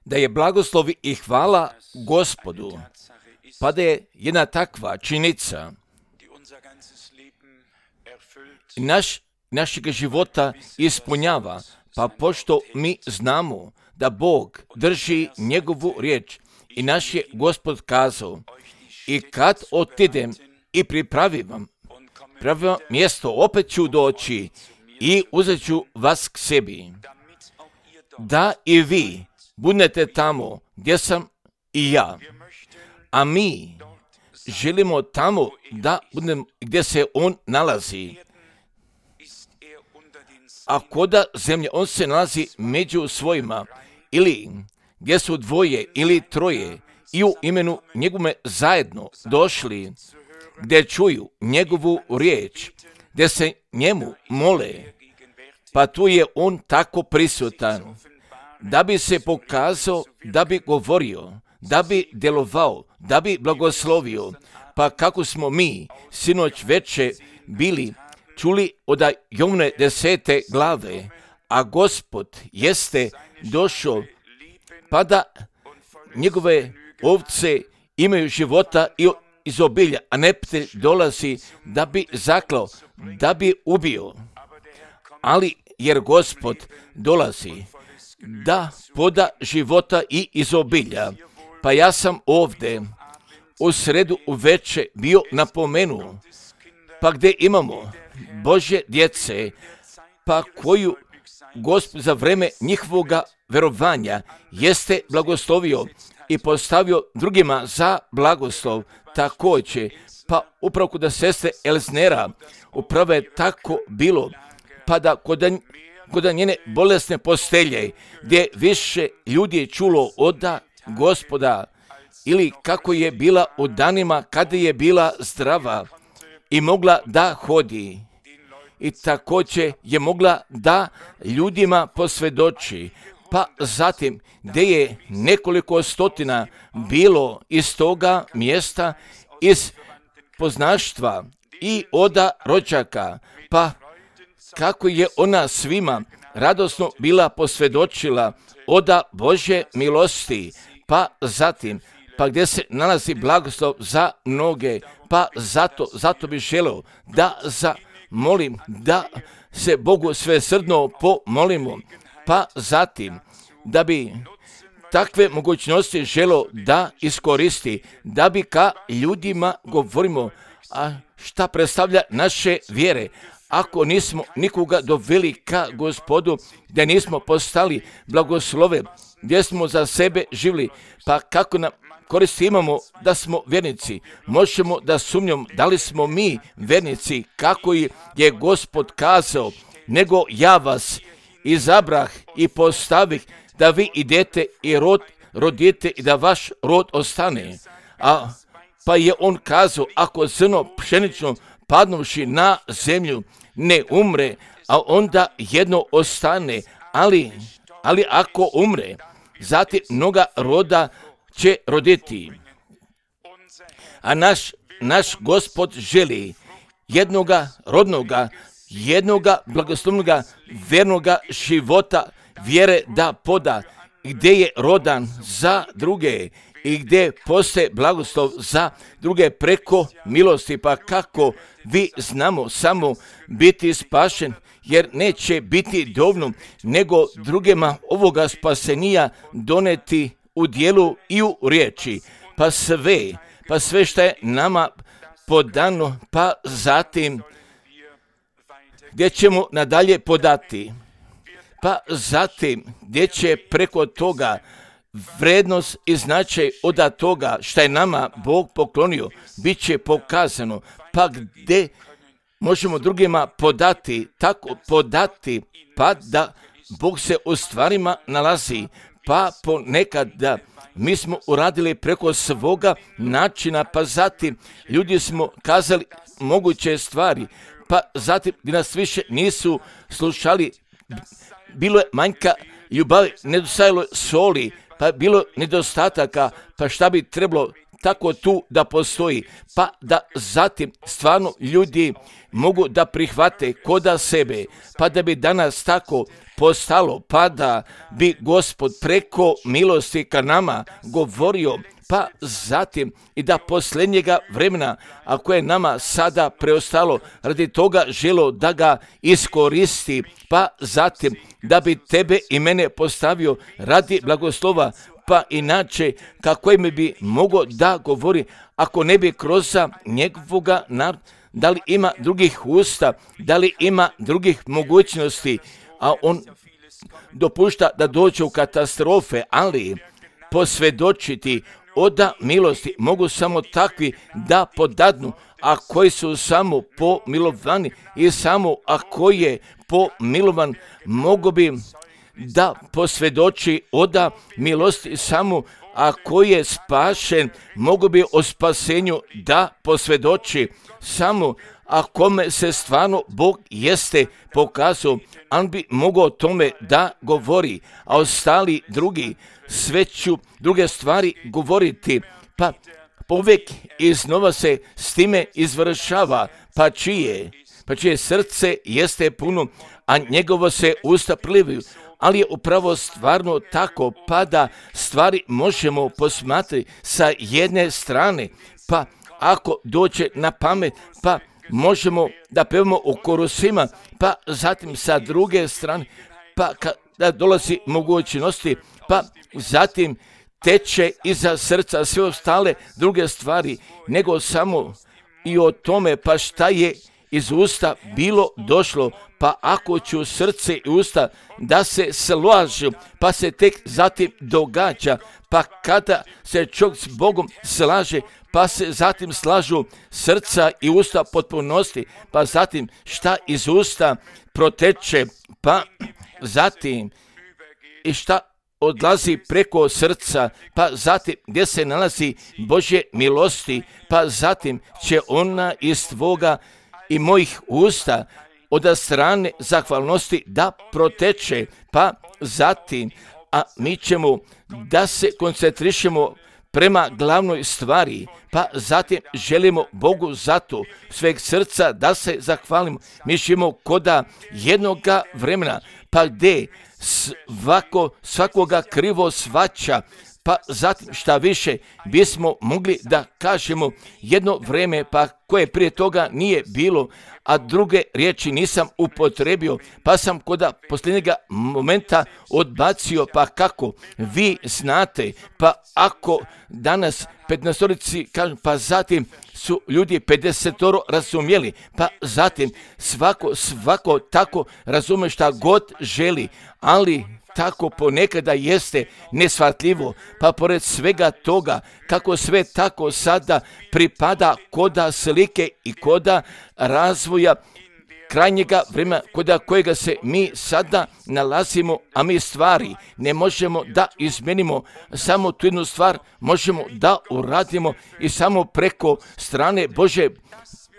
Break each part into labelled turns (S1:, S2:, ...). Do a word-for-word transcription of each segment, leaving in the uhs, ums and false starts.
S1: da je blagoslov i hvala Gospodu, pa da je jedna takva činjenica naš, našeg života ispunjava, pa pošto mi znamo da Bog drži njegovu riječ i naš je Gospod kazao, i kad otidem i pripravim vam pravo mjesto, opet ću doći i uzet ću vas k sebi, da i vi budete tamo gdje sam i ja, a mi želimo tamo da budemo gdje se on nalazi. A koda zemlje, on se nalazi među svojima, ili gdje su dvoje ili troje i u imenu njegove zajedno došli, gdje čuju njegovu riječ, gdje se njemu mole, pa tu je on tako prisutan, da bi se pokazao, da bi govorio, da bi djelovao, da bi blagoslovio. Pa kako smo mi sinoć veče bili čuli od Jovne desete glave, a Gospod jeste došao, pa da njegove ovce imaju života i izobilja, a neprijatelj dolazi da bi zaklao, da bi ubio. Ali jer Gospod dolazi da poda života i izobilja, pa ja sam ovdje u sredu uveče bio napomenuo, pa gdje imamo Božje djece, pa koju Gospod za vreme njihovoga verovanja jeste blagoslovio i postavio drugima za blagoslov također, pa upravo kod sestre Elznera upravo je tako bilo, pa da kod, kod njene bolesne postelje, gdje više ljudi je čulo od Gospoda, ili kako je bila u danima kada je bila zdrava i mogla da hodi, i također je mogla da ljudima posvjedoči, pa zatim gdje je nekoliko stotina bilo iz toga mjesta, iz poznaštva i oda rođaka, pa kako je ona svima radosno bila posvjedočila oda Božje milosti, pa zatim pa gdje se nalazi blagoslov za mnoge, pa zato, zato bih želeo da zamolim da se Bogu svesrdno pomolimo, pa zatim da bi takve mogućnosti želeo da iskoristi, da bi ka ljudima govorimo, a šta predstavlja naše vjere, ako nismo nikoga doveli ka Gospodu, gdje nismo postali blagoslove, gdje smo za sebe živli, pa kako nam koristi imamo da smo vjernici, možemo da sumnjamo da li smo mi vjernici, kako je Gospod kazao, nego ja vas izabrah i postavih da vi idete i rod, rodite i da vaš rod ostane. A pa je on kazao, ako zrno pšenično padnuši na zemlju ne umre, a onda jedno ostane, ali, ali ako umre, zatim mnoga roda će roditi. A naš, naš Gospod želi jednoga rodnoga, jednoga blagoslovnoga, vernoga života, vjere da poda, gdje je rodan za druge i gdje postoje blagoslov za druge preko milosti. Pa kako vi znamo samo biti spašen, jer neće biti dovoljno, nego drugima ovoga spasenija doneti u dijelu i u riječi, pa sve, pa sve što je nama podano, pa zatim gdje ćemo nadalje podati, pa zatim gdje će preko toga vrednost i značaj od toga što je nama Bog poklonio, bit će pokazano, pa gdje možemo drugima podati, tako podati, pa da Bog se u stvarima nalazi, pa ponekad da mi smo uradili preko svoga načina, pa zatim ljudi smo kazali moguće stvari, pa zatim gdje nas više nisu slušali, bilo je manjka ljubavi, nedostajalo soli, pa bilo nedostataka, pa šta bi trebalo tako tu da postoji, pa da zatim stvarno ljudi mogu da prihvate koda sebe, pa da bi danas tako postalo, pa da bi Gospod preko milosti ka nama govorio, pa zatim i da posljednjega vremena, ako je nama sada preostalo, radi toga želo da ga iskoristi, pa zatim da bi tebe i mene postavio radi blagoslova, pa inače kako mi bi mogo da govori, ako ne bi kroz njegovoga naroda, da li ima drugih usta, da li ima drugih mogućnosti, a on dopušta da dođe u katastrofe, ali posvjedočiti oda milosti mogu samo takvi da podadnu, a koji su samo pomilovani i samo ako je pomilovan mogu bi da posvjedoči oda milosti samo ako je spašen, mogu bi o spasenju da posvjedoči samo a kome se stvarno Bog jeste pokazao, on bi mogao o tome da govori, a ostali drugi sve ću druge stvari govoriti, pa povijek iznova se s time izvršava, pa čije, pa čije srce jeste puno, a njegovo se usta plivaju, ali je upravo stvarno tako, pa da stvari možemo posmatrati sa jedne strane, pa ako dođe na pamet, pa možemo da pevamo o korusima, pa zatim sa druge strane, pa kada dolazi mogućnosti, pa zatim teče iza srca sve ostale druge stvari, nego samo i o tome, pa šta je iz usta bilo došlo, pa ako ću srce i usta da se slažu, pa se tek zatim događa, pa kada se čovjek s Bogom slaže, pa se zatim slažu srca i usta potpunosti, pa zatim šta iz usta proteče, pa zatim i šta odlazi preko srca, pa zatim gdje se nalazi Božje milosti, pa zatim će ona iz tvoga i mojih usta od strane zahvalnosti da proteče, pa zatim, a mi ćemo da se koncentrišemo prema glavnoj stvari, pa zatim želimo Bogu zato sveg srca da se zahvalimo. Mi živimo koda jednoga vremena, pa gdje svako, svakoga krivo svaća, pa zatim šta više bismo mogli da kažemo jedno vreme, pa koje prije toga nije bilo, a druge riječi nisam upotrebio, pa sam koda posljednjega momenta odbacio, pa kako vi znate, pa ako danas petnaestorici kažu, pa zatim su ljudi pedesetoro razumjeli, pa zatim svako, svako tako razume šta god želi, ali tako ponekada jeste neshvatljivo, pa pored svega toga, kako sve tako sada pripada koda slike i koda razvoja krajnjega vremena, koda kojega se mi sada nalazimo, a mi stvari ne možemo da izmenimo, samo tu jednu stvar možemo da uradimo i samo preko strane Bože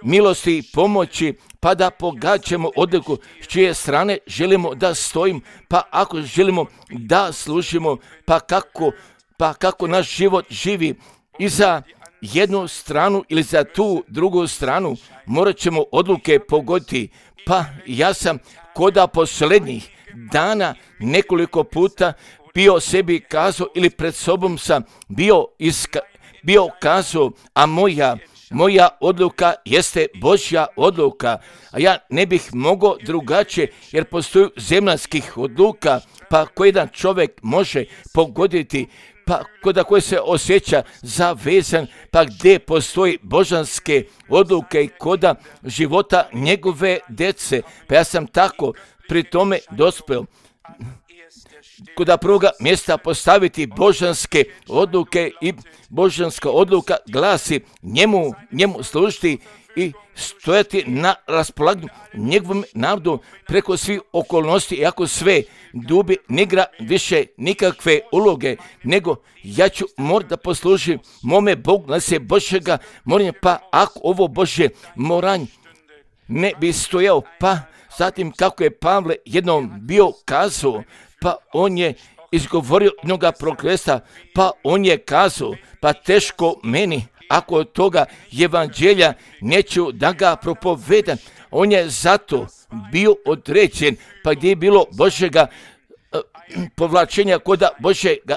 S1: milosti i pomoći, pa da pogađamo odliku s čije strane želimo da stojimo, pa ako želimo da služimo, pa kako, pa kako naš život živi i za jednu stranu ili za tu drugu stranu, morat ćemo odluke pogoditi. Pa ja sam koda posljednjih dana nekoliko puta bio sebi kazao ili pred sobom sam bio, iska, bio kazao, a moja Moja odluka jeste Božja odluka, a ja ne bih mogao drugačije, jer postoji zemaljskih odluka, pa koji jedan čovjek može pogoditi, pa koda koji se osjeća zavezan, pa gdje postoji božanske odluke i koda života njegove djece. Pa ja sam tako pri tome dospeo. Koda prvoga mjesta postaviti božanske odluke i božanska odluka glasi njemu, njemu služiti i stojati na raspolaganju njegovom narodu preko svih okolnosti, i ako sve dubi ne igra više nikakve uloge, nego ja ću morat da poslužim mome Bogu, na se Božjega moranja, pa ako ovo Božje moranje ne bi stojao, pa zatim kako je Pavle jednom bio kazao, pa on je izgovorio jednoga prokletstva, pa on je kazao, pa teško meni, ako od toga evanđelja neću da ga propovedam. On je zato bio određen, pa gdje je bilo Božjega uh, povlačenja koda Božjega,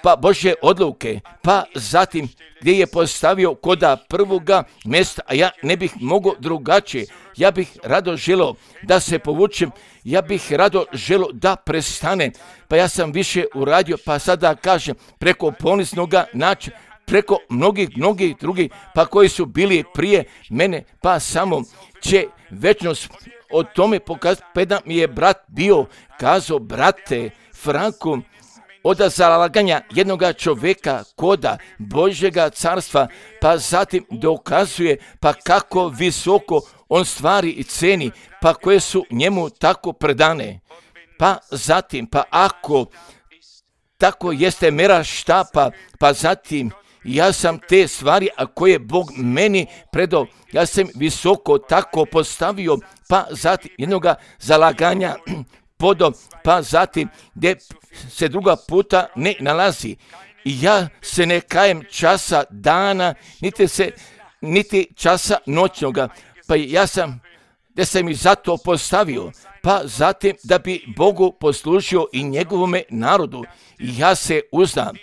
S1: pa Božje odluke, pa zatim gdje je postavio koda prvoga mjesta, a ja ne bih mogao drugačije. Ja bih rado želio da se povučem, ja bih rado želio da prestane, pa ja sam više uradio, pa sada kažem preko poniznoga načina, preko mnogih, mnogih drugih, pa koji su bili prije mene, pa samo će večnost o tome pokazati. Pa jedan mi je brat bio kazao, brate Franku, od zalaganja jednoga čovjeka koda Božjega carstva, pa zatim dokazuje pa kako visoko on stvari i ceni, pa koje su njemu tako predane. Pa zatim, pa ako tako jeste mera štapa, pa zatim ja sam te stvari, a koje Bog meni predao, ja sam visoko tako postavio, pa zatim jednoga zalaganja podo, pa zatim gdje se druga puta ne nalazi. I ja se ne kajem časa dana, niti se, niti časa noćnoga, pa ja sam, da sam i zato postavio, pa zatim da bi Bogu poslužio i njegovome narodu. I ja se uzdam,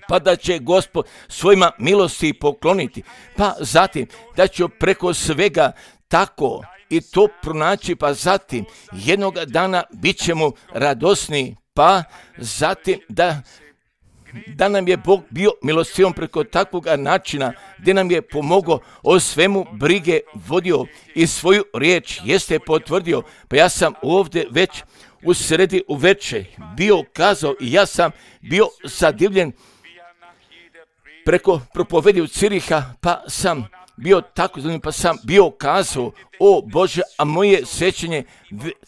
S1: pa da će Gospod svojima milosti pokloniti, pa zatim da ću preko svega tako i to pronaći, pa zatim jednog dana bit ćemo radosni, pa zatim da, da nam je Bog bio milostivom preko takvog načina, gdje nam je pomogao, o svemu brige vodio i svoju riječ jeste potvrdio. Pa ja sam ovdje već u sredi uveče bio kazao i ja sam bio zadivljen preko propovedi u Ciriha, pa sam bio tako zanimljiv, pa sam bio kazao, o Bože, a moje sjećanje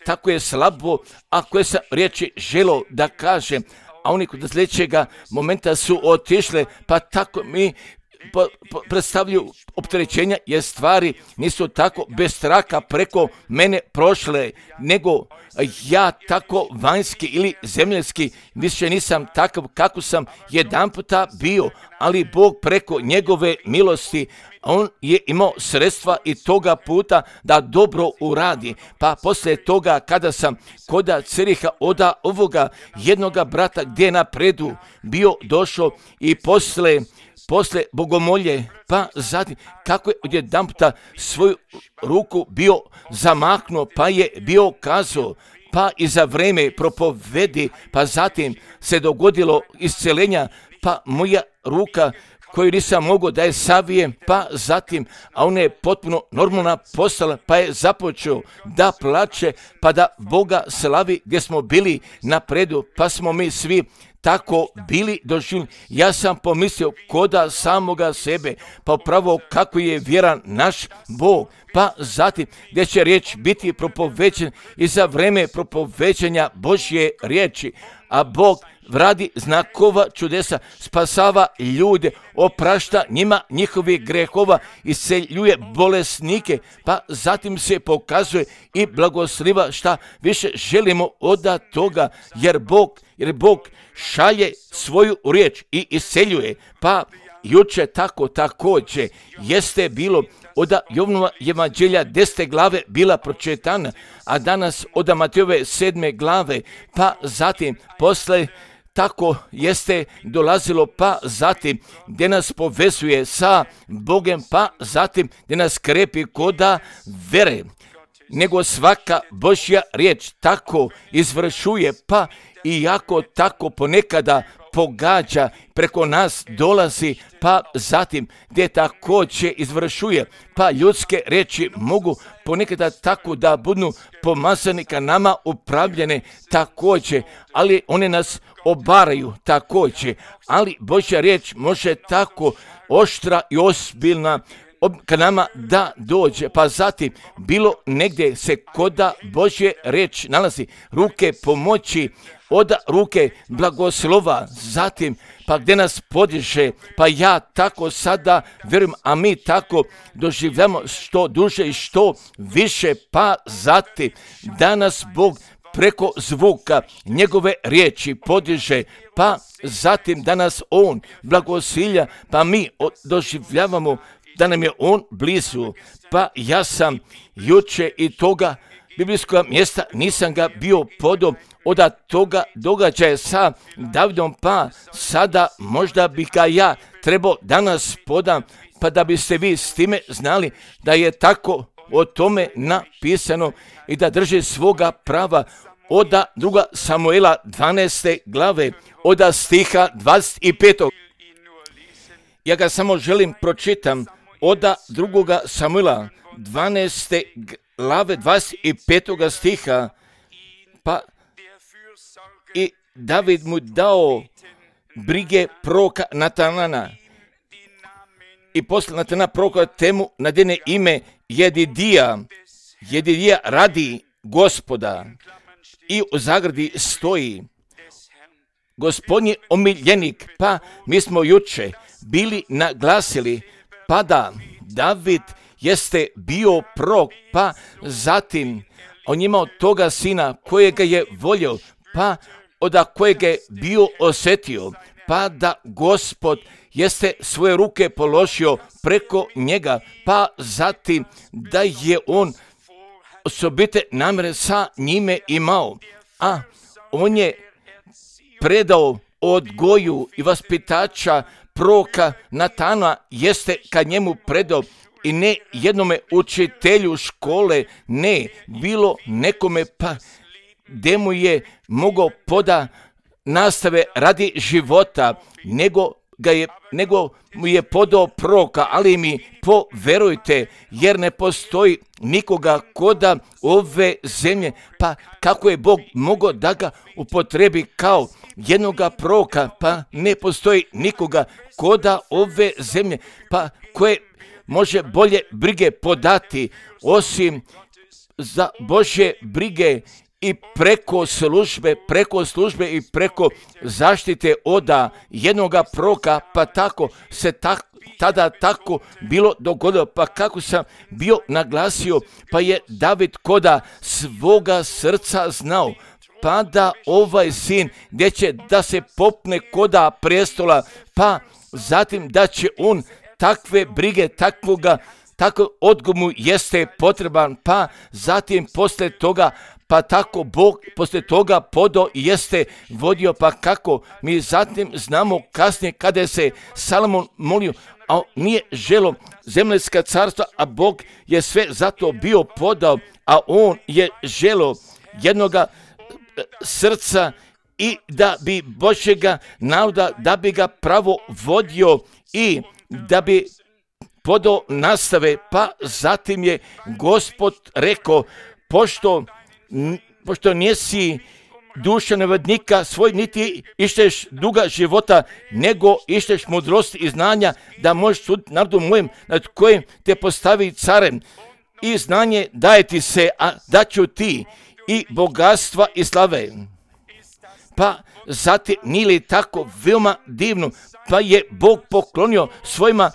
S1: tako je slabo, a koje sam riječi želio da kažem, a oni kod sljedećega momenta su otišle, pa tako mi po, po, predstavljaju opterećenja, jer stvari nisu tako bez straka preko mene prošle, nego ja tako vanjski ili zemljski više nisam takav kako sam jedan puta bio, ali Bog preko njegove milosti, on je imao sredstva i toga puta da dobro uradi. Pa poslije toga kada sam koda Ciriha oda ovoga jednoga brata gdje napredu bio došao i posle Posle bogomolje, pa zatim kako je odjedan puta svoju ruku bio zamahnuo, pa je bio kazao, pa i za vreme propovedi, pa zatim se dogodilo isceljenja, pa moja ruka koju nisam mogao da je savijem, pa zatim, a ona je potpuno normalna postala, pa je započeo da plače, pa da Boga slavi gdje smo bili napredu, pa smo mi svi tako bili doživljeni. Ja sam pomislio koda samoga sebe, pa upravo kako je vjeran naš Bog, pa zatim gdje će riječ biti propovećen i za vreme propovećenja Božje riječi, a Bog radi znakova čudesa, spasava ljude, oprašta njima njihovih grehova, isceljuje bolesnike, pa zatim se pokazuje i blagosliva šta više želimo od toga, jer Bog, jer Bog šalje svoju riječ i isceljuje, pa juče tako također jeste bilo od Jovanova evanđelja desete glave bila pročitana, a danas od Matejove sedme glave, pa zatim posle tako jeste dolazilo, pa zatim gdje nas povezuje sa Bogom, pa zatim gdje nas krepi koda vere, nego svaka Božja riječ tako izvršuje, pa iako tako ponekada pogađa, preko nas dolazi, pa zatim gdje također izvršuje, pa ljudske riječi mogu ponekada tako da budu pomazani ka nama upravljene također, ali one nas obaraju također, ali Božja riječ može tako oštra i ozbiljna ka nama da dođe, pa zatim bilo negdje se koda Božje riječ nalazi, ruke pomoći, od ruke blagoslova, zatim pa gdje nas podiže, pa ja tako sada vjerujem, a mi tako doživljamo što duže i što više, pa zatim da nas Bog preko zvuka njegove riječi podiže, pa zatim da nas on blagosilja, pa mi doživljavamo da nam je on blizu. Pa ja sam juče i toga biblijskog mjesta nisam ga bio podao od toga događaja sa Davidom, pa sada možda bi ga ja trebao danas podam, pa da biste vi s time znali da je tako o tome napisano i da drži svoga prava. Oda druga Samuela dvanaeste glave, oda stiha dvadeset pet. Ja ga samo želim pročitam, oda drugoga Samuela dvanaeste glave dvadeset pet stiha. Pa i David mu dao brige proroka Natanana. I posle Natana proroka temu nadene ime Jedidija. Jedidija radi Gospoda. I u zagradi stoji Gospodnji omiljenik. Pa mi smo juče bili naglasili pa da David jeste bio prorok, pa zatim on imao toga sina kojega je volio, pa od kojega je bio osjetio, pa da Gospod jeste svoje ruke položio preko njega, pa zatim da je on osobite namjere sa njime imao, a on je predao odgoju i vaspitača proroka Natana, jeste kad njemu predao i ne jednome učitelju škole, ne bilo nekome, pa gdje mu je mogao poda nastave radi života, nego ga je, nego mu je podao proroka, ali mi poverujte, jer ne postoji nikoga koda ove zemlje, pa kako je Bog mogao da ga upotrebi kao jednoga proroka, pa ne postoji nikoga koda ove zemlje, pa koje može bolje brige podati osim za Božje brige i preko službe, preko službe i preko zaštite oda jednoga proroka, pa tako se tak, tada tako bilo dogodilo, pa kako sam bio naglasio, pa je David koda svoga srca znao, pa da ovaj sin gdje će da se popne koda prestola, pa zatim da će on takve brige, takvoga, tako odgovor mu jeste potreban, pa zatim posle toga, pa tako Bog posle toga podao i jeste vodio, pa kako mi zatim znamo kasnije kada se Salomon molio, a nije želo zemaljska carstva, a Bog je sve zato bio podao, a on je želo jednoga srca i da bi Božjega naroda, da bi ga pravo vodio i da bi podao nastave, pa zatim je Gospod rekao, pošto, pošto nisi duša nevodnika svoj, niti išteš duga života, nego išteš mudrosti i znanja, da možeš suditi narodu mojem, nad kojim te postavi carem. I znanje daje ti se, a daću ti i bogatstva i slave. Pa zatim nije li tako veoma divno, pa je Bog poklonio svojima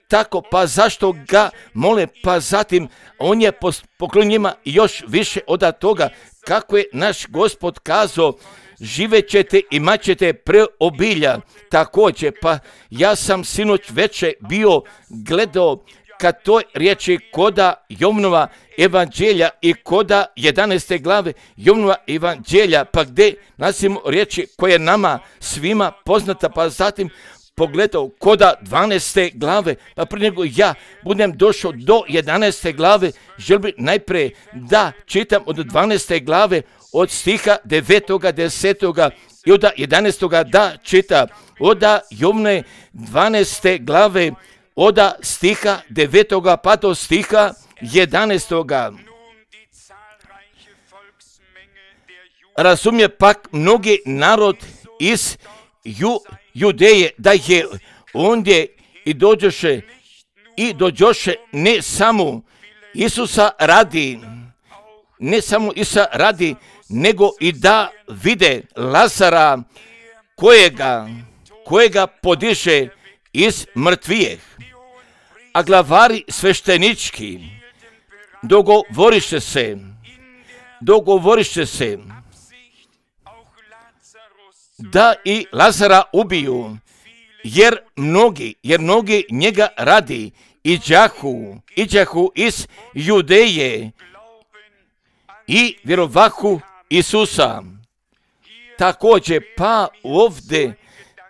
S1: tako, pa zašto ga mole, pa zatim on je poklonio njima još više od toga, kako je naš Gospod kazao, živet ćete, imat ćete preobilja. Također, pa ja sam sinoć veče bio gledao kad toj riječi koda Jovnova evanđelja i koda jedanaeste glave Jovnova evanđelja, pa gdje nasimo riječi koje nama svima poznata, pa zatim pogledao koda dvanaeste glave, pa prije nego ja budem došao do jedanaeste glave, želim najprije da čitam od dvanaeste glave, od stiha devetoga, desetoga i od jedanaestoga da čita, od Jovne dvanaeste glave, od stiha devetoga pa do stiha jedanaestoga. Razumije pak mnogi narod iz Ju, Judeje, da je ondje i dođoše i dođoše ne samo Isusa radi, ne samo Isusa radi, nego i da vide Lazara kojega, kojega podiže iz mrtvijeh. A glavari sveštenički dogovoriše se dogovoriše se da i Lazara ubiju, jer mnogi, jer mnogi njega radi, iđahu, iđahu iz Judeje i vjerovahu Isusa. Također, pa ovdje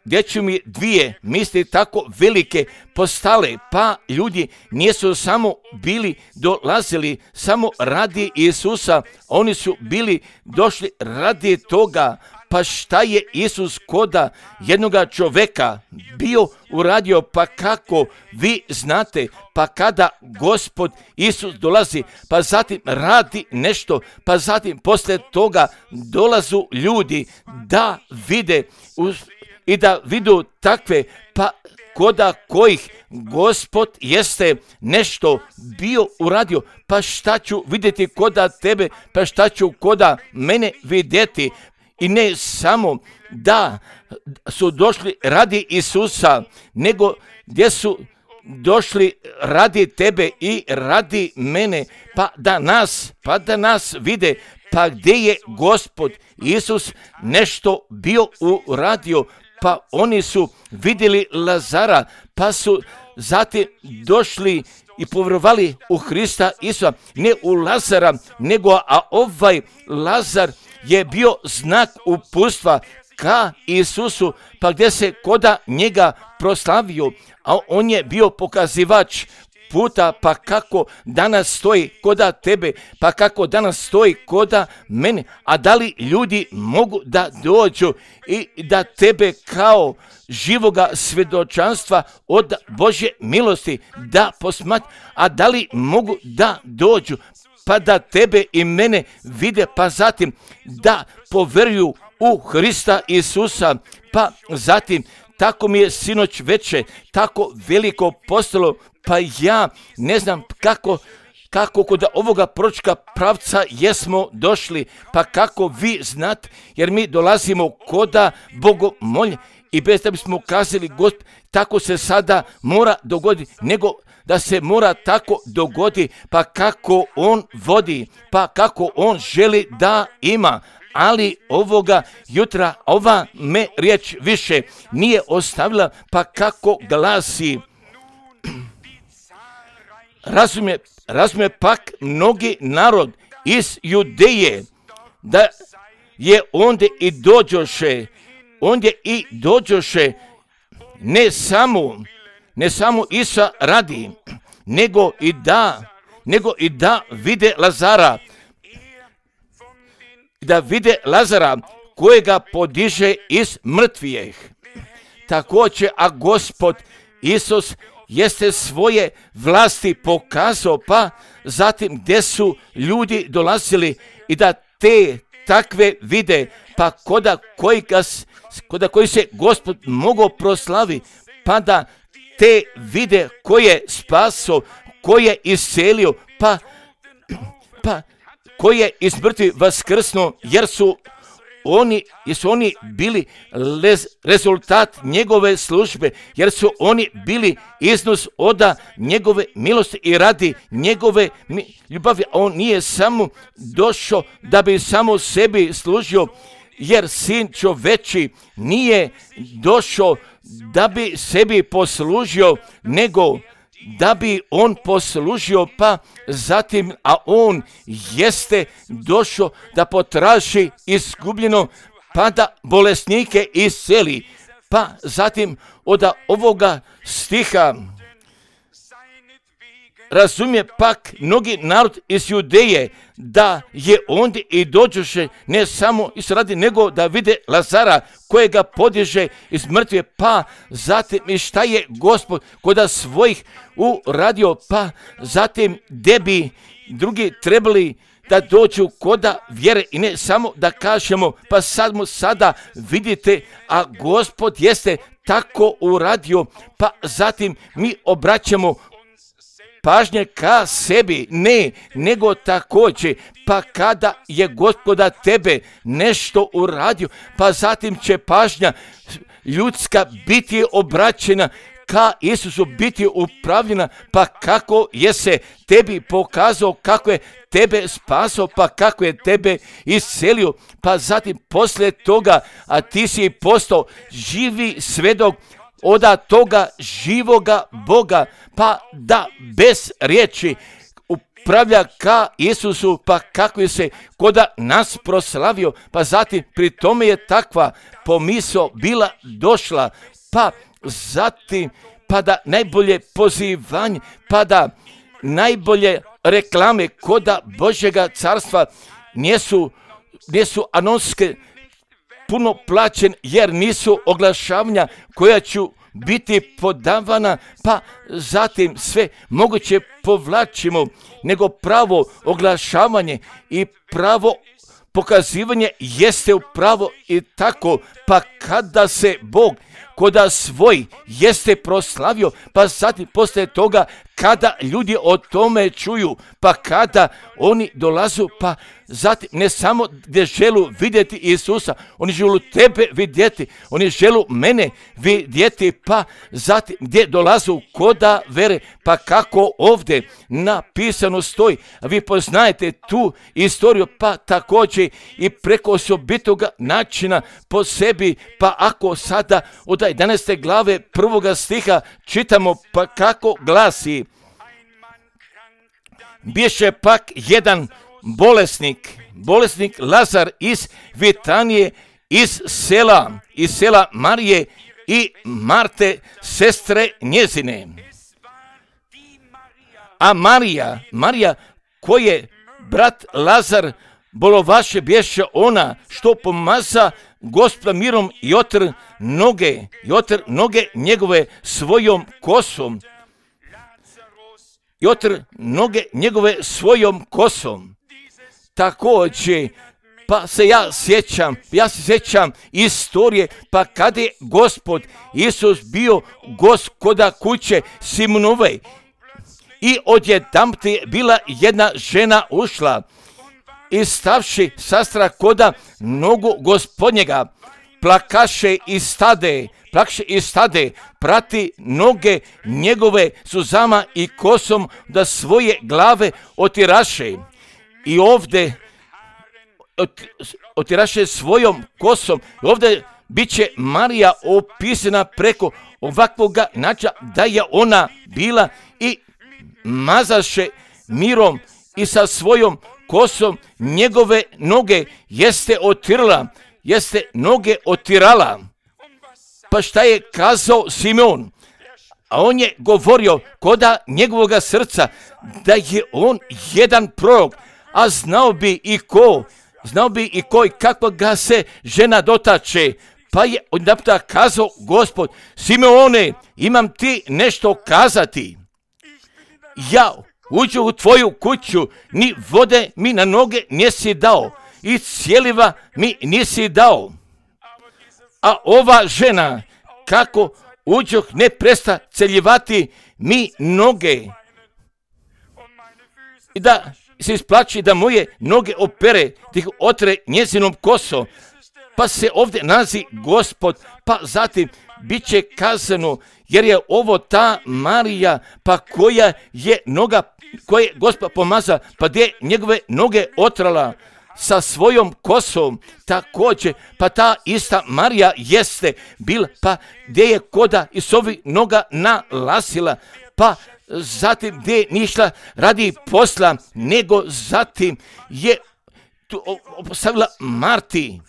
S1: gdje ću mi dvije misli tako velike postale, pa ljudi nisu samo bili dolazili samo radi Isusa, oni su bili došli radi toga. Pa šta je Isus koda jednoga čovjeka bio uradio, pa kako vi znate, pa kada Gospod Isus dolazi, pa zatim radi nešto, pa zatim poslije toga dolazu ljudi da vide i da vidu takve, pa koda kojih Gospod jeste nešto bio uradio, pa šta ću vidjeti koda tebe, pa šta ću koda mene vidjeti. I ne samo da su došli radi Isusa, nego gdje su došli radi tebe i radi mene, pa da nas, pa da nas vide, pa gdje je Gospod Isus nešto bio uradio, pa oni su vidjeli Lazara, pa su zatim došli i povjerovali u Hrista Isusa, ne u Lazara, nego a ovaj Lazar je bio znak uputstva ka Isusu, pa gdje se koda njega proslavio, a on je bio pokazivač puta, pa kako danas stoji koda tebe, pa kako danas stoji koda mene, a da li ljudi mogu da dođu i da tebe kao živoga svjedočanstva od Božje milosti da posmatra, a da li mogu da dođu, pa da tebe i mene vide, pa zatim da poveruju u Hrista Isusa, pa zatim tako mi je sinoć veče, tako veliko postalo, pa ja ne znam kako, kako kod ovoga proročka pravca jesmo došli, pa kako vi znate, jer mi dolazimo koda bogomolje i bez da bismo kazali, Gospod, tako se sada mora dogoditi, nego da se mora tako dogodi, pa kako on vodi, pa kako on želi da ima. Ali ovoga jutra ova me riječ više nije ostavila, pa kako glasi. Razumije, razumije pak mnogi narod iz Judeje, da je ondje i dođoše, ondje i dođoše ne samo, ne samo Isa radi, nego i da, nego i da vide Lazara, da vide Lazara kojega podiže iz mrtvijeh. Također, a Gospod Isus jeste svoje vlasti pokazao, pa zatim gdje su ljudi dolazili i da te takve vide, pa koda koji, koda koji se Gospod mogao proslavi, pa da te vide koje spaso, koje iscelio, pa, pa koje iz mrtvih vaskrsno, jer su oni, jer su oni bili lez, rezultat njegove službe, jer su oni bili iznos oda njegove milosti i radi njegove mi, ljubavi. On nije samo došao da bi samo sebi služio, jer sin čoveči nije došao da bi sebi poslužio, nego da bi on poslužio, pa zatim, a on jeste došao da potraži izgubljeno, pa da bolesnike isceli. Pa zatim od ovoga stiha razumije pak mnogi narod iz Judeje, da je ondje i dođoše ne samo iz radi, nego da vide Lazara kojega podiže iz mrtve, pa zatim i šta je Gospod koda svojih uradio, pa zatim gdje bi drugi trebali da dođu koda vjere i ne samo da kažemo, pa sad mu sada vidite, a Gospod jeste tako uradio, pa zatim mi obraćamo pažnje ka sebi, ne, nego također, pa kada je Gospoda tebe nešto uradio, pa zatim će pažnja ljudska biti obraćena ka Isusu biti upravljena, pa kako je se tebi pokazao, kako je tebe spasao, pa kako je tebe iscelio, pa zatim poslije toga, a ti si postao živi svedok oda toga živoga Boga, pa da bez riječi upravlja ka Isusu, pa kako je se koda nas proslavio, pa zatim pri tome je takva pomisao bila došla, pa zatim pa da najbolje pozivanje, pa da najbolje reklame koda Božjega carstva nisu, nisu anonske puno plaćen, jer nisu oglašavanja koja ću biti podavana, pa zatim sve moguće povlačimo, nego pravo oglašavanje i pravo pokazivanje jeste upravo i tako, pa kada se Bog koda svoj jeste proslavio, pa zatim poslije toga kada ljudi o tome čuju, pa kada oni dolazu, pa zatim ne samo gdje želu vidjeti Isusa, oni želu tebe vidjeti, oni želu mene vidjeti, pa zatim gdje dolazu koda vere, pa kako ovdje napisano stoji, a vi poznajete tu istoriju, pa također i preko osobitoga načina po sebi, pa ako sada od jedanaeste glave prvoga stiha čitamo, pa kako glasi: biše pak jedan bolesnik, bolesnik Lazar iz Vitanije, iz sela, iz sela Marije i Marte, sestre njezine. A Marija, Marija koje brat Lazar bolovaše, bješe ona što pomaza Gospoda mirom i otr noge, i otr noge njegove svojom kosom. I otr noge njegove svojom kosom. Također, pa se ja sjećam, ja se sjećam istorije, pa kada je Gospod Isus bio gost koda kuće Simonove i odjedanput je bila jedna žena ušla i stavši sastra koda nogu Gospodnjega, plakaše i stade, plakaše i stade, prati noge njegove suzama i kosom da svoje glave otiraše. I ovdje otiraše svojom kosom. I ovdje bit će Marija opisana preko ovakvoga načina da je ona bila i mazaše mirom i sa svojom kosom njegove noge jeste otirala, jeste noge otirala. Pa šta je kazao Simeon? A on je govorio koda njegovoga srca da je on jedan prorok, a znao bi i ko, znao bi i ko i kako ga se žena dotače. Pa je odjedanput kazao Gospod: Simeone, imam ti nešto kazati. Ja uđu u tvoju kuću, ni vode mi na noge nisi dao i cijeliva mi nisi dao. A ova žena, kako uđoh, ne presta celjivati mi noge i da se isplaći da moje noge opere, da ih otre njezinom kosom. Pa se ovdje nalazi Gospod, pa zatim bit će kazano, jer je ovo ta Marija, pa koja je noga, koje Gospod pomaza, pa gdje njegove noge otrala sa svojom kosom, također, pa ta ista Marija jeste bila, pa gdje je koda i s ovih noga nalasila, pa zatim gdje je nišla radi posla, nego zatim je tu postavila Marti.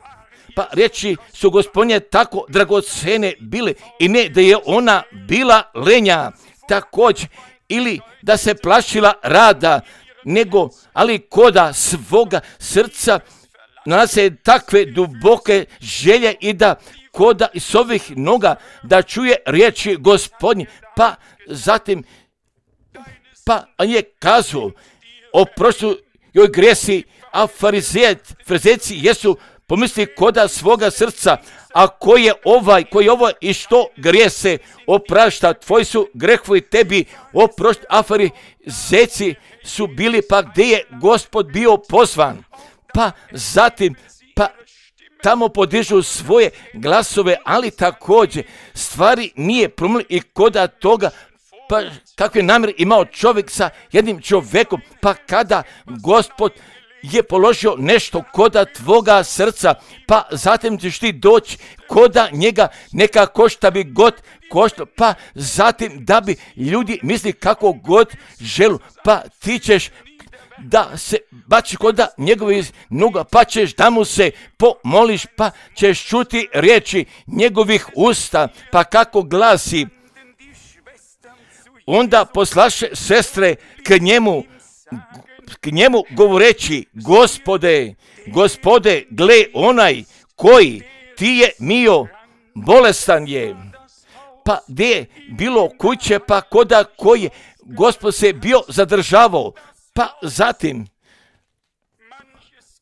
S1: Pa reći su Gospodnje tako dragocene bile i ne da je ona bila lenja također ili da se plašila rada, nego ali koda svoga srca nalaze takve duboke želje i da koda iz ovih noga da čuje riječi Gospodnje. Pa zatim pa on je kazao oprostu joj gresi, a farizejci jesu pomisli koda svoga srca, a ko je ovaj, ko je ovo i što grijese oprašta, tvoji su grehovi tebi oprošt, a farizejci su bili, pa gdje je Gospod bio pozvan. Pa zatim, pa tamo podižu svoje glasove, ali također stvari nije promijenilo i koda toga, pa kakve namjere imao čovjek sa jednim čovjekom, pa kada Gospod je položio nešto koda tvoga srca, pa zatim ćeš ti doći koda njega neka košta bi god košta, pa zatim da bi ljudi misli kako god želu, pa ti ćeš da se baci koda njegovih noga, pa ćeš da mu se pomoliš, pa ćeš čuti riječi njegovih usta, pa kako glasi, onda poslaše sestre k njemu, k njemu govoreći, Gospode, Gospode, gle onaj koji ti je mio, bolestan je. Pa gdje je bilo kuće, pa koda koji Gospod se bio zadržavao, pa zatim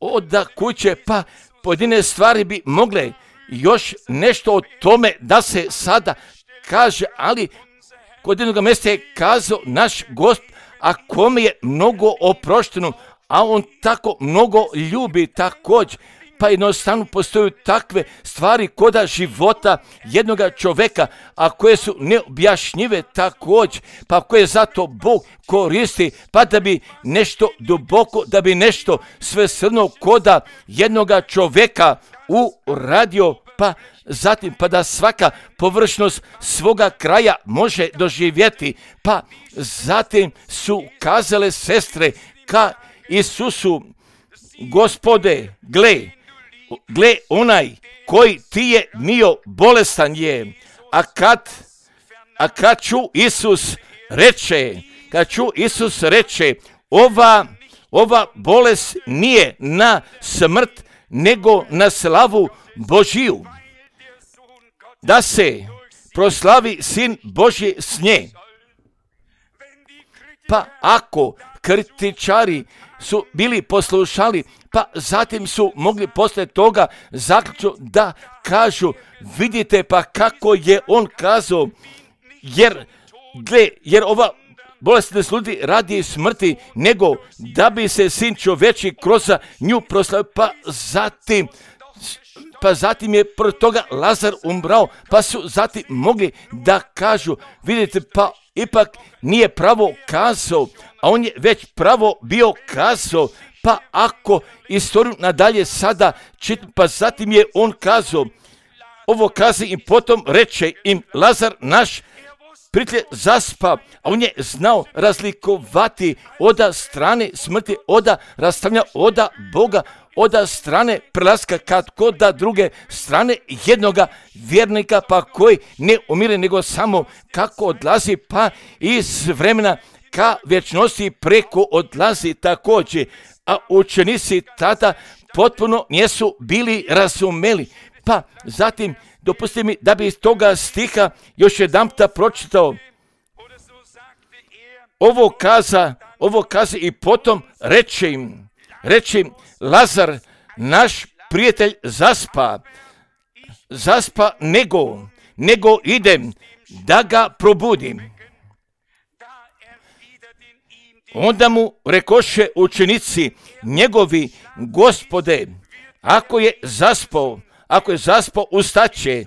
S1: oda kuće, pa pojedine stvari bi mogle još nešto o tome da se sada kaže, ali kod jednog mjesta je kazao naš Gospod, a kome je mnogo oprošteno, a on tako mnogo ljubi također, pa jednostavno postoju takve stvari koda života jednog čovjeka, a koje su neobjašnjive također, pa koje zato Bog koristi, pa da bi nešto duboko, da bi nešto svesrdno koda jednog čovjeka uradio, pa zatim pa da svaka površnost svoga kraja može doživjeti, pa zatim su kazale sestre ka Isusu, Gospode, gle, gle onaj koji ti je mio, bolestan je, a kad, a kad ću Isus reče, kad ću Isus reče, ova, ova bolest nije na smrt, nego na slavu Božiju, da se proslavi Sin Božji s nje. Pa ako kritičari su bili poslušali, pa zatim su mogli poslije toga zaključiti da kažu, vidite pa kako je on kazao, jer, gle, jer ova bolest ne sludi radi smrti, nego da bi se Sin čovječji kroz nju proslavio, pa zatim pa zatim je pro toga Lazar umrao, pa su zatim mogli da kažu, vidite, pa ipak nije pravo kazao, a on je već pravo bio kazao, pa ako istoriju nadalje sada čitam, pa zatim je on kazao, ovo kazi i potom reče im, Lazar naš prijatelj zaspa, a on je znao razlikovati oda strane smrti, oda rastavlja, oda Boga, oda strane prelaska kad kod da druge strane jednoga vjernika, pa koji ne umire nego samo kako odlazi, pa iz vremena ka vječnosti preko odlazi također, a učenici tada potpuno nisu bili razumeli. Pa zatim dopustite mi da bi iz toga stiha još jedanputa pročitao. Ovo kaza, ovo kaza i potom reče im, reče im, Lazar, naš prijatelj zaspa, zaspa nego, nego idem da ga probudim. Onda mu rekoše učenici njegovi, Gospode, ako je zaspao, ako je zaspao, ustaće.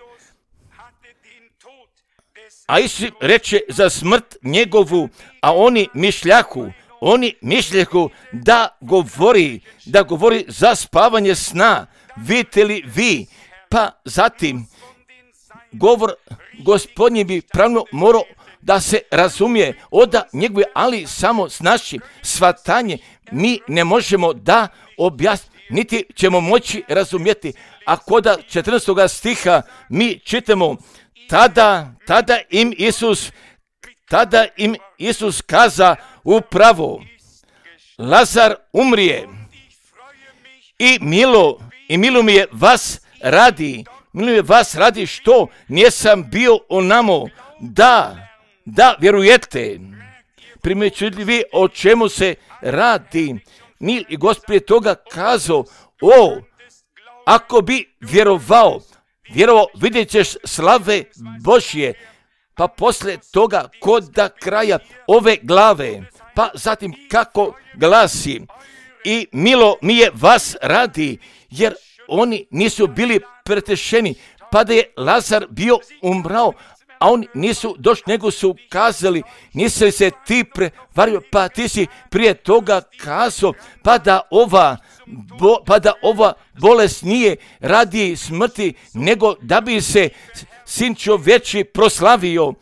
S1: A Isus reče za smrt njegovu, a oni mišljahu, oni mišljahu da govori, da govori za spavanje sna. Vidite li vi? Pa zatim, govor Gospodnji bi pravno morao da se razumije oda njegove, ali samo s našim shvatanje mi ne možemo da objasniti, niti ćemo moći razumjeti. A koda četrnaestog stiha mi čitamo, tada, tada im Isus, tada im Isus kaza upravo, Lazar umrije i milo, i milo mi je vas radi, milo mi je vas radi što nisam bio onamo, da, da vjerujete. Primjećujete vi o čemu se radi? Ni i Gospod je toga kazao, o, ako bi vjerovao, vjerovao, vidjet ćeš slave Božje, pa poslije toga kod da kraja ove glave, pa zatim kako glasi, i milo mi je vas radi, jer oni nisu bili pretešeni, pa da je Lazar bio umrao, a oni nisu došli, nego su kazali, nisi li se ti prevario, pa ti si prije toga kazao, pa da ova, bo, pa da ova bolest nije radi smrti, nego da bi se sin čovječi proslavio.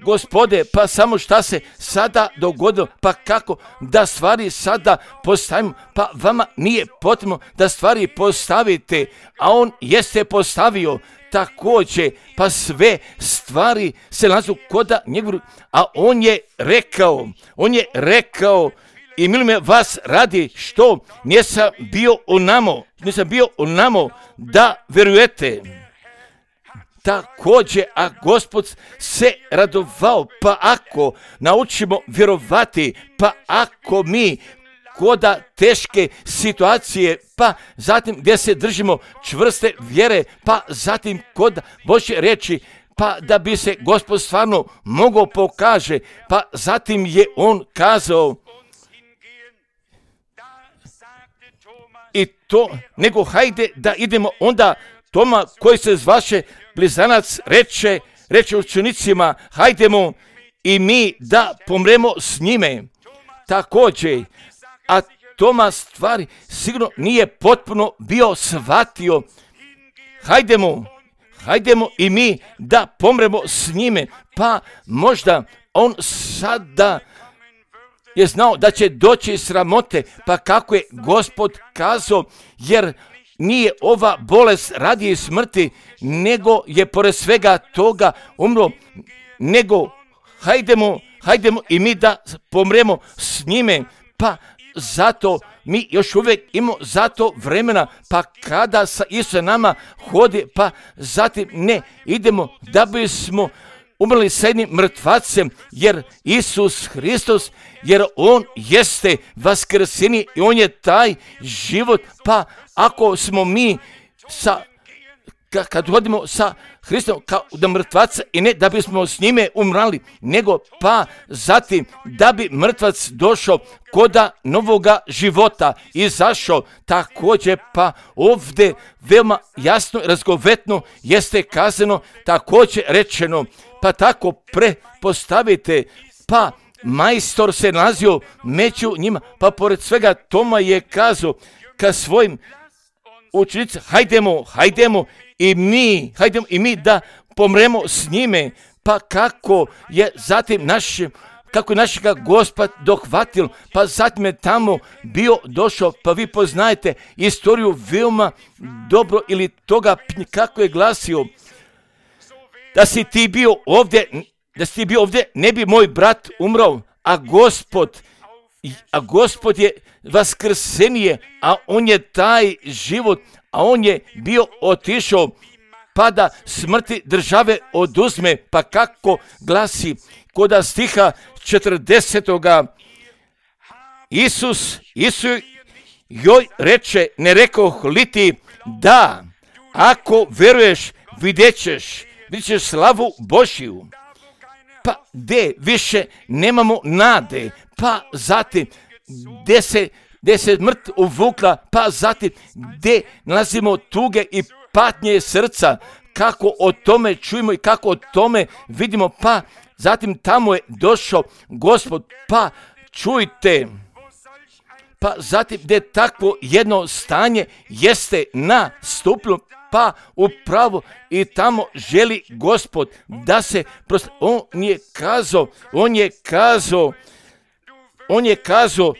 S1: Gospode, pa samo šta se sada dogodilo, pa kako da stvari sada postavimo, pa vama nije potrebno da stvari postavite, a on jeste postavio također, pa sve stvari se nalazu koda njegovu, a on je rekao, on je rekao, i milo me vas radi što nisam bio onamo, nisam bio onamo da verujete. Također, a Gospod se radovao, pa ako naučimo vjerovati, pa ako mi koda teške situacije, pa zatim gdje se držimo čvrste vjere, pa zatim kod Božje reči, pa da bi se Gospod stvarno mogao pokaže, pa zatim je on kazao, i to, nego hajde da idemo onda. Toma koji se zvaše blizanac reče, reče učenicima, hajdemo i mi da pomremo s njime. Također, a Toma stvari sigurno nije potpuno bio shvatio, hajdemo, hajdemo i mi da pomremo s njime, pa možda on sada je znao da će doći sramote, pa kako je Gospod kazao, jer nije ova bolest radi smrti, nego je pored svega toga umro, nego hajdemo, hajdemo i mi da pomremo s njime, pa zato mi još uvijek imamo zato vremena, pa kada sa Isus nama hodi, pa zatim ne idemo da bismo umrli sa jednim mrtvacem, jer Isus Hristos, jer On jeste vaskrsenje i On je taj život, pa ako smo mi sa, kad hodimo sa Hristom kao da mrtvaca i ne da bismo s njime umrali, nego pa zatim da bi mrtvac došao koda novoga života izašao, također pa ovdje veoma jasno i razgovetno jeste kazano, također rečeno, pa tako prepostavite, pa majstor se nalazio među njima, pa pored svega Toma je kazao ka svojim učenicima, hajdemo, hajdemo i mi, hajdemo i mi da pomremo s njime, pa kako je zatim naš, kako je našega Gospod dohvatil, pa zatim je tamo bio došao, pa vi poznajete istoriju veoma dobro ili toga kako je glasio, da si ti bio ovdje, da si ti bio ovdje, ne bi moj brat umrao, a Gospod, a Gospod je vaskrsenije, a on je taj život, a on je bio otišao, pa da smrti države oduzme, pa kako glasi koda stiha četrdesetoga Isus, Isus joj reče, ne rekoh li ti da, ako veruješ, vidjet ćeš, vidjet ćeš slavu Božju. Pa gdje više nemamo nade, pa zatim gdje se, gdje se mrt uvukla, pa zatim gdje nalazimo tuge i patnje srca, kako o tome čujemo i kako o tome vidimo, pa zatim tamo je došao Gospod, pa čujte, pa zatim gdje takvo jedno stanje jeste nastupilo, pa upravo i tamo želi Gospod da se prosto, on je kazao, on je kazao, on je kazao,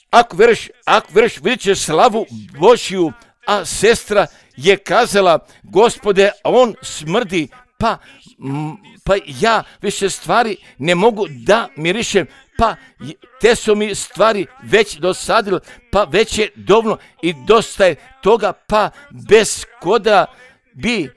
S1: ako veruješ, ako veruješ, vidjet ćeš slavu Božju, a sestra je kazala, Gospode, on smrdi, pa, pa ja više stvari ne mogu da mirišem, pa te su mi stvari već dosadile, pa već je dovoljno i dosta je toga, pa bez koda bi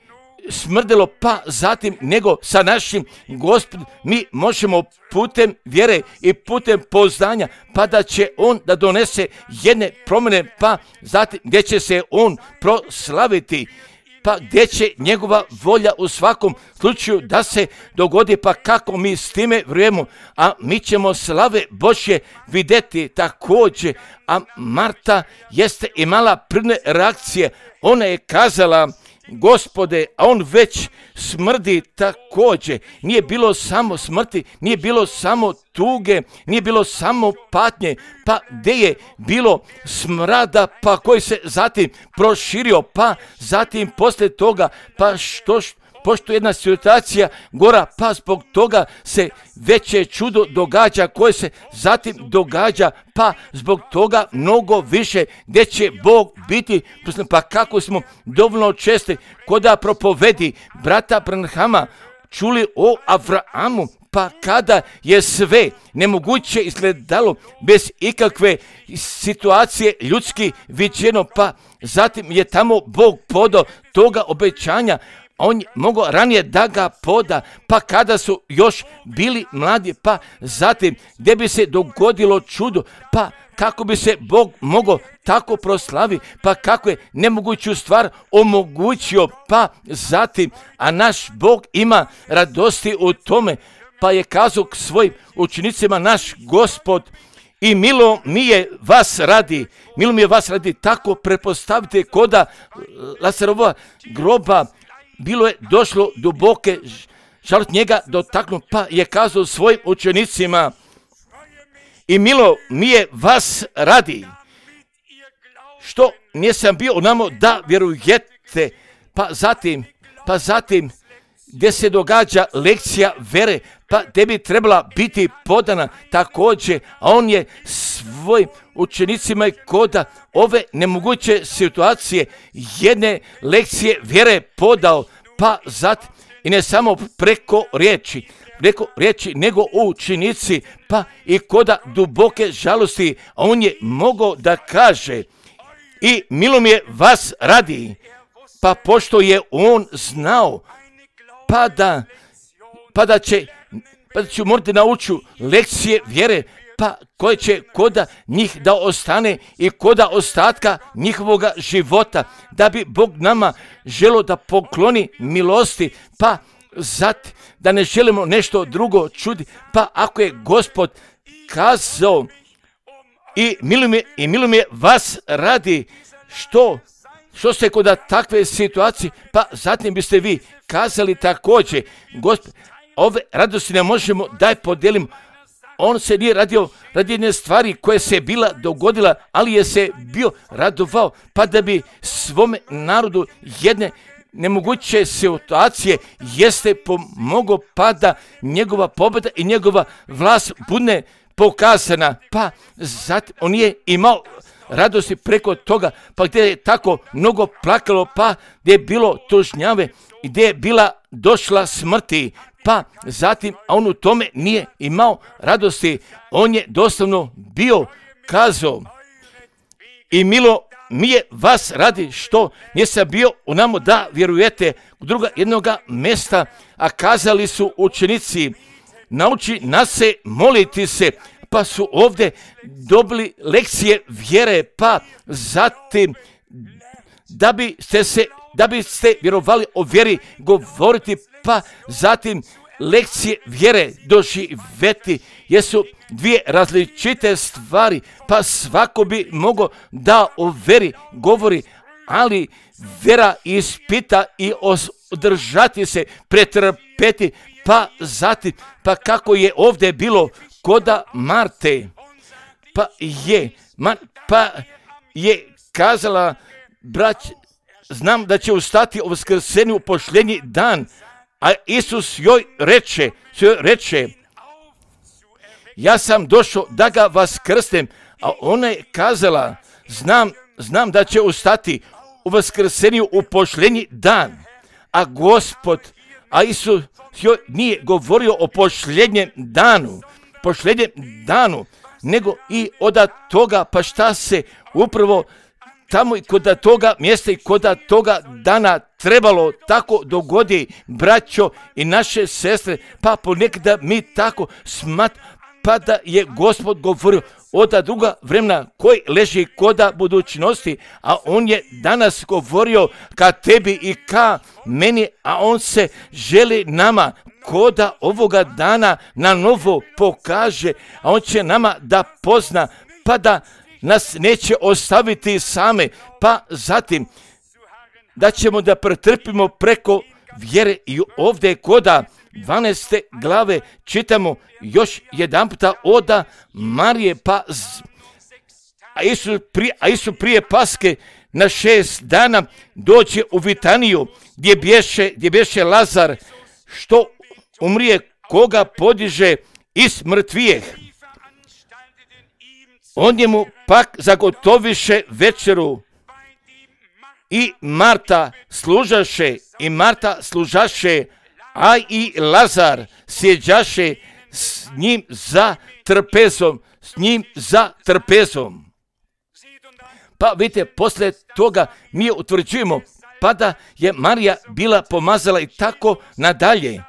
S1: smrdilo, pa zatim nego sa našim Gospodom mi možemo putem vjere i putem poznanja, pa da će on da donese jedne promjene, pa zatim gdje će se on proslaviti. pa gdje će njegova volja u svakom slučaju da se dogodi, pa kako mi s time vrijemo, a mi ćemo slave Božje vidjeti također. A Marta jeste imala prvne reakcije, ona je kazala: Gospode, a on već smrdi također. Nije bilo samo smrti, nije bilo samo tuge, nije bilo samo patnje, pa gdje je bilo smrada, pa koji se zatim proširio, pa zatim poslije toga, pa što što pošto jedna situacija gora, pa zbog toga se veće čudo događa koje se zatim događa, pa zbog toga mnogo više gdje će Bog biti. Pa kako smo dovoljno česti koda propovedi brata Branhama čuli o Avrahamu, pa kada je sve nemoguće izgledalo bez ikakve situacije ljudski viđeno, pa zatim je tamo Bog podao toga obećanja. On je mogao ranije da ga poda, pa kada su još bili mladi, pa zatim gdje bi se dogodilo čudo, pa kako bi se Bog mogao tako proslavi, pa kako je nemoguću stvar omogućio, pa zatim, a naš Bog ima radosti u tome, pa je kazao k svojim učenicima naš Gospod: i milo mi je vas radi, milo mi je vas radi, tako prepostavite koda Lazarova groba, bilo je došlo duboke žalost njega dotaknu, pa je kazao svojim učenicima: i milo mi je vas radi, što nisam bio u namo da vjerujete. Pa zatim, pa zatim gdje se događa lekcija vere, pa gdje bi trebala biti podana također, a on je svojim učenicima i koda ove nemoguće situacije jedne lekcije vjere podao, pa zatim i ne samo preko riječi, preko riječi, nego učenici, pa i koda duboke žalosti, a on je mogao da kaže: i milo mi je vas radi, pa pošto je on znao pa da, pa da će pa da ću morati naučiti lekcije vjere, pa koje će koda njih da ostane i koda ostatka njihovoga života, da bi Bog nama želio da pokloni milosti, pa zat da ne želimo nešto drugo čudi, pa ako je Gospod kazao: i milo mi, i milo mi je vas radi, što što ste kod takve situacije, pa zatim biste vi kazali također: Gospod, ove radosti ne možemo daj podijelimo. On se nije radio radi jedne stvari koja se bila dogodila, ali je se bio radovao, pa da bi svome narodu jedne nemoguće situacije jeste pomogao, pa da njegova pobjeda i njegova vlast bude pokazana. Pa zatim on je imao radosti preko toga, pa gdje je tako mnogo plakalo, pa gdje je bilo tužnjave, gdje je bila došla smrti, pa zatim, a on u tome nije imao radosti, on je doslovno bio kazao: i milo mi je vas radi, što nisam bio u namo da vjerujete. U druga jednoga mjesta, a kazali su učenici: nauči nas se moliti se, pa su ovdje dobili lekcije vjere, pa zatim da biste se, da biste vjerovali o vjeri govoriti, pa zatim lekcije vjere doživjeti, jesu dvije različite stvari, pa svako bi mogao da o vjeri govori, ali vjera ispita i održati se, pretrpeti, pa zatim, pa kako je ovdje bilo koda Marte, pa je, ma, pa je kazala: brać, znam da će ustati o vaskrsenju u posljednji dan, a Isus joj reče, joj reče: ja sam došao da ga vaskrsnem, a ona je kazala: znam, znam da će ustati u vaskrsenju u posljednji dan, a Gospod, a Isus joj nije govorio o posljednjem danu, posljednjem danu, nego i od toga, pa šta se upravo tamo i kod toga mjesta i kod toga dana trebalo tako dogodi, braćo i naše sestre, pa ponekada mi tako smat, pa da je Gospod govorio od druga vremena koji leži koda budućnosti, a on je danas govorio ka tebi i ka meni, a on se želi nama koda ovoga dana na novo pokaže, a on će nama da pozna, pa da nas neće ostaviti same, pa zatim da ćemo da pretrpimo preko vjere. I ovdje koda dvanaeste glave čitamo još jedan puta oda Marije, pa z... a, Isus prije, a Isus prije Paske na šest dana dođe u Vitaniju gdje bješe, gdje bješe Lazar, što umrije, koga podiže iz mrtvijeh. On njemu pak zagotoviše večeru i Marta služaše, i Marta služaše, a i Lazar sjeđaše s njim za trpezom, s njim za trpezom. Pa vidite, poslije toga mi utvrđujemo, pa da je Marija bila pomazala i tako nadalje.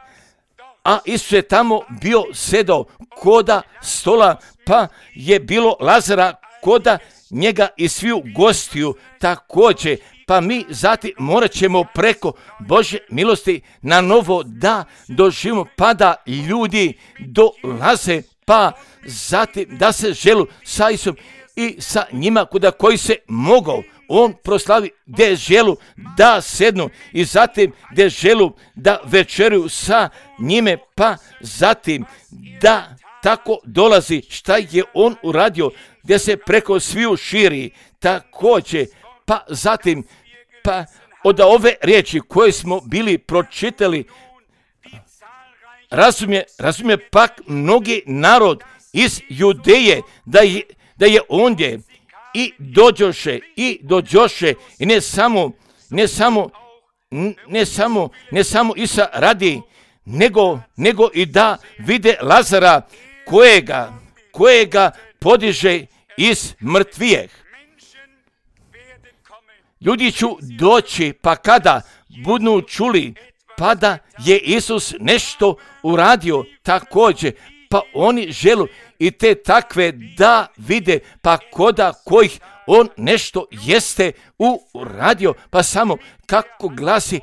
S1: A Isus je tamo bio sedao koda stola, pa je bilo Lazara koda njega i sviju gostiju također. Pa mi zatim morat ćemo preko Božje milosti na novo da doživimo, pa da ljudi dolaze, pa zatim da se želu sa Isusom i sa njima kuda koji se mogao on proslavi, gdje želu da sednu i zatim gdje želu da večeruju sa njime, pa zatim da tako dolazi šta je on uradio, gdje se preko sviju širi također. Pa zatim, pa od ove riječi koje smo bili pročitali, razumije, razumije pak mnogi narod iz Judeje da je, da je ondje i dođoše, i dođoše, i ne samo, ne samo, ne samo, ne samo Isa radi, nego, nego i da vide Lazara kojega, kojega podiže iz mrtvijeh. Ljudi će doći, pa kada budu čuli, pa da je Isus nešto uradio također, pa oni želu i te takve da vide, pa koda kojih on nešto jeste uradio, pa samo kako glasi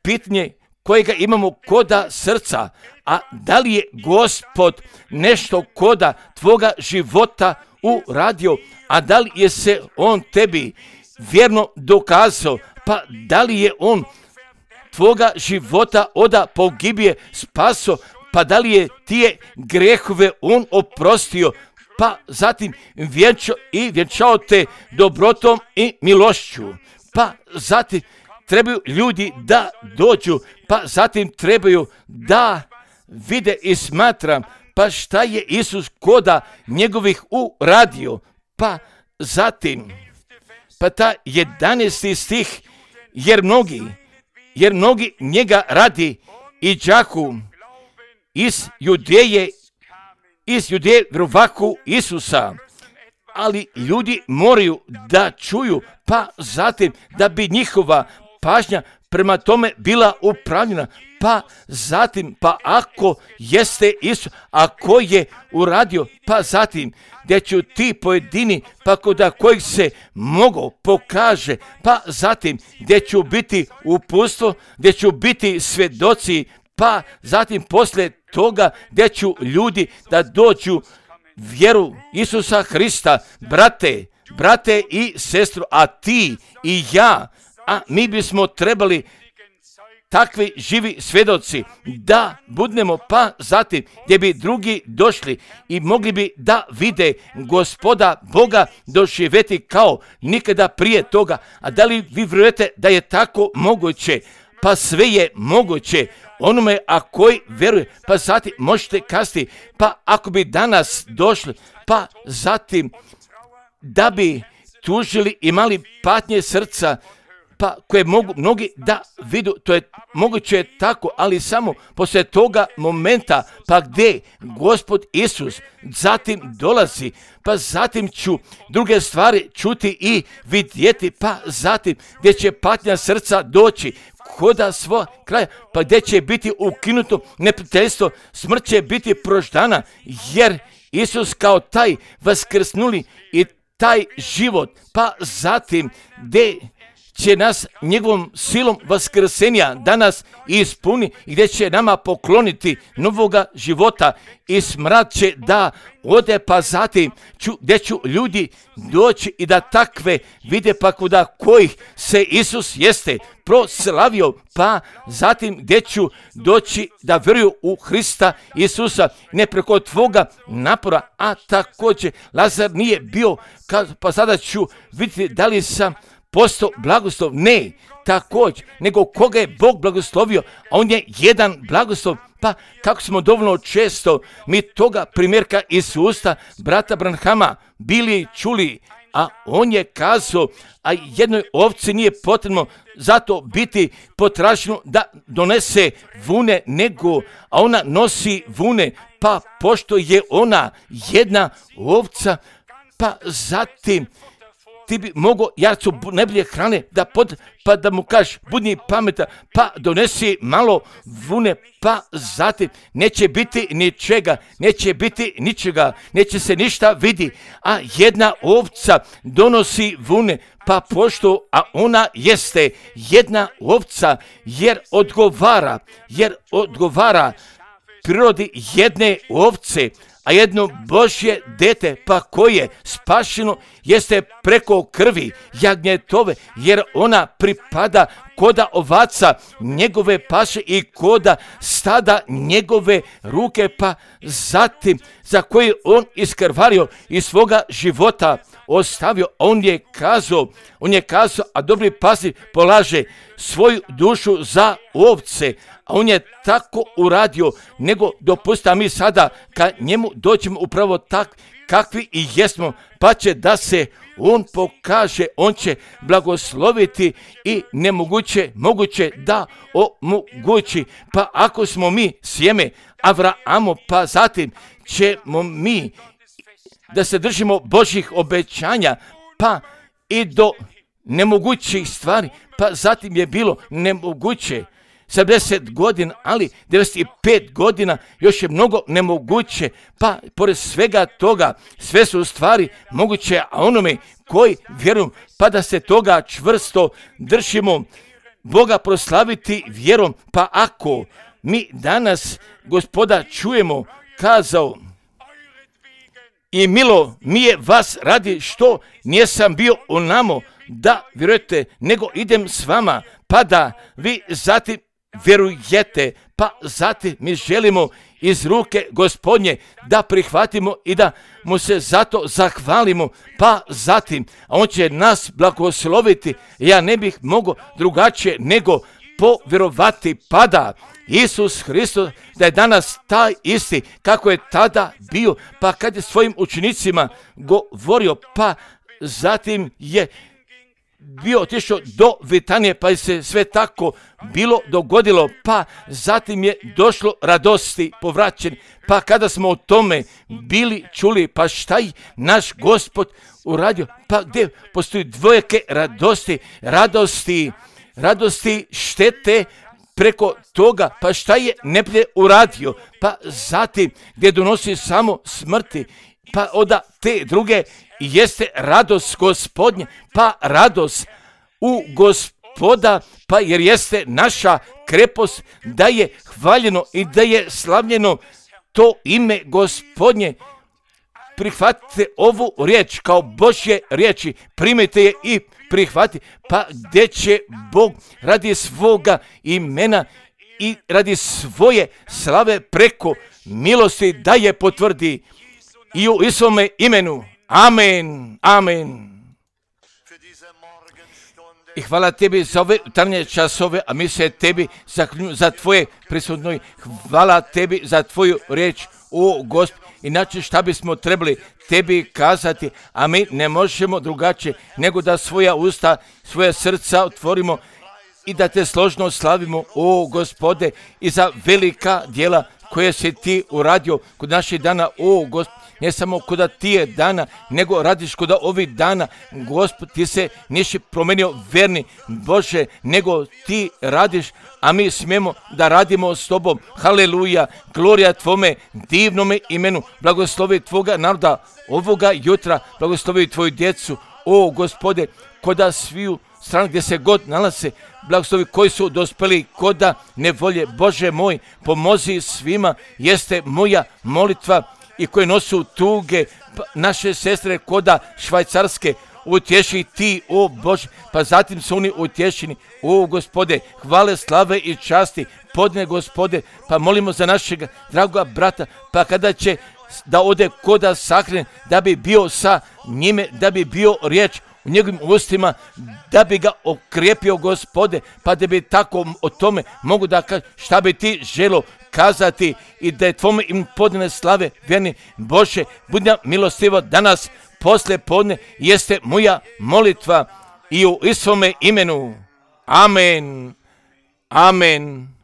S1: pitanje kojega imamo koda srca, a da li je Gospod nešto koda tvoga života uradio, a da li je se on tebi vjerno dokazao, pa da li je on tvoga života oda pogibije spaso, pa da li je tije grehove on oprostio, pa zatim vjenčao i vjenčao te dobrotom i milošću, pa zatim trebaju ljudi da dođu, pa zatim trebaju da vide i smatram, pa šta je Isus koda njegovih uradio, pa zatim pa ta jedanaesti stih, jer mnogi, jer mnogi njega radi i đaku iz Judeje, iz Judeje vjerovaku Isusa, ali ljudi moraju da čuju, pa zatim da bi njihova pažnja prema tome bila upravljena, pa zatim, pa ako jeste Isus, a ko je uradio, pa zatim, gdje ću ti pojedini, pa koda kojih se mogu pokaže, pa zatim, gdje ću biti uputstvo, gdje ću biti svjedoci, pa zatim poslije toga, gdje ću ljudi da dođu vjeru Isusa Hrista, brate, brate i sestru, a ti i ja, a mi bismo trebali takvi živi svjedoci da budemo, pa zatim gdje bi drugi došli i mogli bi da vide Gospoda Boga doživjeti kao nikada prije toga. A da li vi vjerujete da je tako moguće? Pa sve je moguće onome a koji vjeruje, pa zatim možete kasti, pa ako bi danas došli, pa zatim da bi tužili, imali patnje srca, pa koje mogu mnogi da vidu, to je moguće tako, ali samo poslije toga momenta, pa gdje Gospod Isus zatim dolazi, pa zatim ću druge stvari čuti i vidjeti, pa zatim gdje će patnja srca doći koda svoj kraja, pa gdje će biti ukinuto neprijateljstvo, smrt će biti proždana, jer Isus kao taj vaskrsnuli i taj život, pa zatim gdje će nas njegovom silom vaskrsenja danas ispuni i gdje će nama pokloniti novoga života i smrad će da ode, pa zatim ću, gdje ću ljudi doći i da takve vide, pa kuda kojih se Isus jeste proslavio, pa zatim gdje ću doći da vjeruju u Hrista Isusa, ne preko tvoga napora, a također Lazar nije bio, pa sada ću vidjeti da li sam postao blagoslov, ne, također, nego koga je Bog blagoslovio, a on je jedan blagoslov, pa kako smo dovoljno često mi toga primjerka iz usta brata Branhama bili čuli, a on je kazao, a jednoj ovci nije potrebno zato biti potraženo da donese vune, nego, a ona nosi vune, pa pošto je ona jedna ovca, pa zatim ti bi mogao jarcu najbolje hrane da pod, pa da mu kažeš budni pametan, pa donesi malo vune, pa zatim neće biti ničega, neće biti ničega, neće se ništa vidi, a jedna ovca donosi vune, pa pošto, a ona jeste jedna ovca, jer odgovara, jer odgovara prirodi jedne ovce, a jedno Božje dete, pa koje spašeno jeste preko krvi jagnjetove, jer ona pripada koda ovaca njegove paše i koda stada njegove ruke, pa zatim za koje on iskrvario iz svoga života ostavio. On je kazao, on je kazao, a dobri paznik polaže svoju dušu za ovce, a on je tako uradio, nego dopusta mi sada kad njemu dođemo upravo tak kakvi i jesmo, pa će da se on pokaže, on će blagosloviti i nemoguće moguće da omogući. Pa ako smo mi sjeme Avrahamo, pa zatim ćemo mi da se držimo Božjih obećanja, pa i do nemogućih stvari, pa zatim je bilo nemoguće sedamdeset godina, ali devedeset pet godina još je mnogo nemoguće, pa pored svega toga sve su stvari moguće, a onome koji vjeruju, pa da se toga čvrsto držimo, Boga proslaviti vjerom. Pa ako mi danas Gospoda čujemo, kazao, i milo mi je vas radi što nisam bio onamo da vjerujete, nego idem s vama, pa da vi zatim vjerujete, pa zatim mi želimo iz ruke Gospodnje da prihvatimo i da mu se zato zahvalimo, pa zatim, a on će nas blagosloviti. Ja ne bih mogao drugačije nego povjerovati, pa da Isus Hristos da je danas taj isti kako je tada bio, pa kad je svojim učenicima govorio, pa zatim je bio otišao do Vitanije, pa je se sve tako bilo dogodilo, pa zatim je došlo radosti povraćen, pa kada smo o tome bili čuli, pa šta je naš Gospod uradio, pa gdje postoji dvojake radosti, radosti, radosti štete preko toga, pa šta je neplje uradio, pa zatim gdje donosi samo smrti, pa onda te druge jeste radost Gospodnje, pa radost u Gospoda, pa jer jeste naša krepost da je hvaljeno i da je slavljeno to ime Gospodnje. Prihvatite ovu riječ kao Božje riječi, primite je i prihvati, pa gdje će Bog radi svoga imena i radi svoje slave preko milosti da je potvrdi i u svome imenu. Amen, amen. I hvala tebi za ove jutarnje časove, a mi se tebi zahvaljujemo za tvoje prisutno. Hvala tebi za tvoju riječ, o Gospod. Inače šta bismo trebali tebi kazati, a mi ne možemo drugačije nego da svoja usta, svoja srca otvorimo i da te složno slavimo, o Gospode, i za velika djela koje si ti uradio kod naših dana, o Gospod. ne samo koda ti je dana, nego radiš koda ovih dana. Gospod, ti se nisi promenio, verni Bože, nego ti radiš, a mi smijemo da radimo s tobom. Haleluja, glorija tvome divnome imenu. Blagoslovi tvoga naroda ovoga jutra, blagoslovi tvoju djecu, o Gospode, koda sviju stranu gdje se god nalaze, blagoslovi koji su dospeli koda nevolje. Bože moj, pomozi svima, jeste moja molitva, i koje nosu tuge, naše sestre koda Švajcarske, utješi ti, o Bože, pa zatim su oni utješeni, o Gospode, hvale, slave i časti, podne Gospode, pa molimo za našeg dragoga brata, pa kada će da ode koda sahrane, da bi bio sa njime, da bi bio riječ u njegovim ustima, da bi ga okrijepio Gospode, pa da bi tako o tome mogu da kaže šta bi ti želo kazati i da je tvome im podne slave, vjerni Bože, budi nam milostivo danas, posle podne, jeste moja molitva i u Isovome imenu. Amen. Amen.